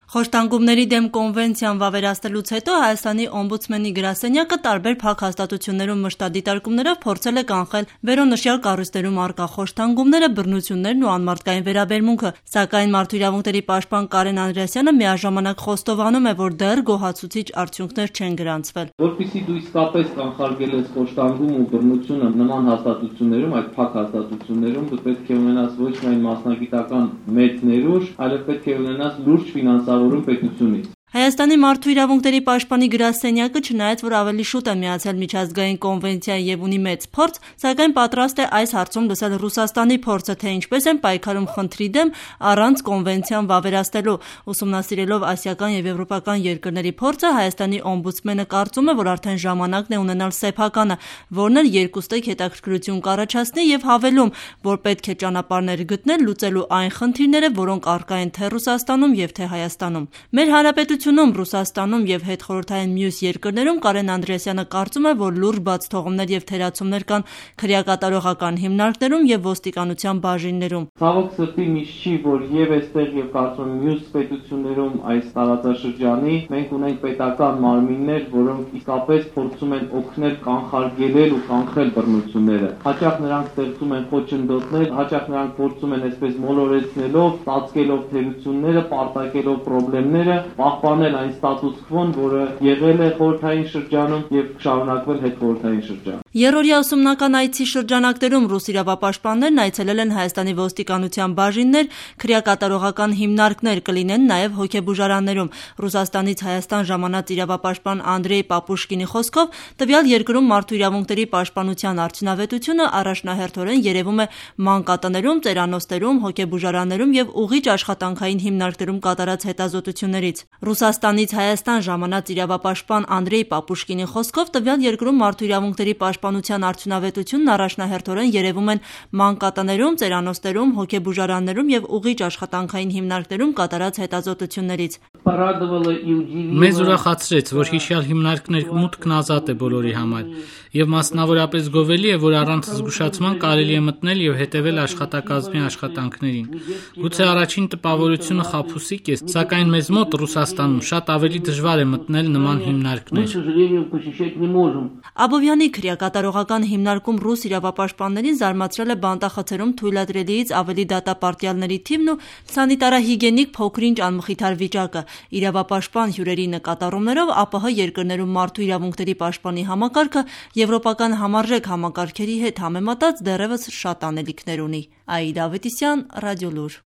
Խոշտանգումների դեմ կոնվենցիան վավերացնելուց հետո Հայաստանի օմբուդսմենի գրասենյակը տարբեր փակ հաստատություններում մշտադիտարկումներով փորձել է կանխել վերոնշյալ կառույցներում առկա խոշտանգումները, բռնություններն ու անմարդկային վերաբերմունքը, սակայն Մարդու իրավունքների պաշտպան Կարեն Անդրեասյանը միաժամանակ խոստովանում է, որ դեռ գոհացուցիչ արդյունքներ չեն գրանցվել։ Որպեսզի դու իսկապես կանխարգել ես խոշտանգում ու բռնությունը նման հաստատություններում, այդ փակ հաստատություններում, դու պետք է ունենաս ոչ միայն մասնագիտական մեծ ներուժ, այլև պետք է ունենաս լուրջ ֆինանսավորում պետությունից։ Հայաստանի Մարդու իրավունքների պաշտպանի գրասենյակը, չնայած որ ավելի շուտ է միացել միջազգային կոնվենցիային եւ ունի մեծ փորձ, սակայն պատրաստ է այս հարցում լսել Ռուսաստանի փորձը, թե ինչպես են պայքարում խնդրի դեմ առանց կոնվենցիան վավերացնելու։ Ուսումնասիրելով ասիական եւ եվրոպական երկրների փորձը, Հայաստանի օմբուդսմենը կարծում է, որ արդեն ժամանակն է ունենալ սեփականը, որն էլ երկուստեք հետաքրքրություն կառաջացնի եւ հավելում, որ պետք է ճանապարհներ գտնել լուծելու այն խնդիրները, որոնք առկա են թե Ռուսաստանում եւ թե Հայաստանում։ Մեր հանրապետությունում, Ռուսաստանում եւ հետխորհրդային մյուս երկրներում Կարեն Անդրեասյանը կարծում է, որ լուրջ բացթողումներ եւ թերացումներ կան քրեակատարողական հիմնարկներում եւ ոստիկանության բաժիններում։ Ցավոք սրտի միշտ չի, որ եւ այստեղ եւ կարծում եմ մյուս պետություններում այս տարածաշրջանի մենք ունենք պետական մարմիններ, որոնք իսկապես փորձում են օգնել կանխարգելել ու կանխել բռնությունները։ Հաճախ նրանք ստեղծում են խոչընդոտներ, հաճախ նրանք փորձում են այսպես մոլորեցնելով, ծածկելով թերությունները, պարտակելով խնդիրները, պահպանել այն ստատուս քվոն, որը եղել է խորհրդային շրջանում եւ շարունակվել հետխորհրդային շրջանում։ Երրորդյա ուսումնական այցի շրջանակներում ռուս իրավապաշտպաններն այցելել են Հայաստանի ոստիկանության բաժիններ, քրեակատարողական հիմնարկներ, կլինեն նաև հոգեբուժարաններում։ Ռուսաստանից Հայաստան ժամանած իրավապաշտպան Անդրեյ Պապուշկինի խոսքով, տվյալ երկրում մարդու իրավունքների պաշտպանության արդյունավետությունը առաջնահերթորեն երևում է մանկատներում, ծերանոցներում, հոգեբուժարաններում եւ ուղիչ աշխատանքային հիմնարկներում կատարած հետազոտություններից։ Ռուսաստանից Հայաստան ժամանած իրավապաշտպան Անդրեյ Պապուշկինի խոսքով, տվյալ երկրում մարդու իրավունքների պաշտպանության արդյունավետությունն առաջնահերթորեն երևում են մանկատներում, ծերանոցներում, հոգեբուժարաններում եւ ուղիչ աշխատանքային հիմնարկներում կատարած հետազոտություններից։ Մեզ ուրախացրեց, որ հիշյալ հիմնարկներ մուտքն ազատ է բոլորի համար եւ մասնավորապես գովելի է, որ առանց զգուշացման կարելի է մտնել եւ հետեւել աշխատակազմի աշխատանքներին։ Գուցե առաջին տպավորությունը խաբուսիկ է, սակայն մեզ մոտ Ռուսաստանում շատ ավելի դժվար է մտնել նման հիմնարկներ։ Աբովյանի քրեակատարողական հիմնարկում ռուս իրավապաշտպաններին զարմացրել է բանտախցերում թույլատրելիից ավելի դատապարտյալների թիվն ու սանիտարահիգիենիկ փոքրինչ անմխիթար վիճակը։ Իրավապաշտպան հյուրերի նկատառումներով ԱՊՀ երկրներում մարդու իրավունքների պաշտպանի համակարգը եվրոպական համարժեք համակարգերի հետ համեմատած դեռևս շատ անելիքներ ունի։ Աիդա Ավետիսյան, Ռադիոլուր։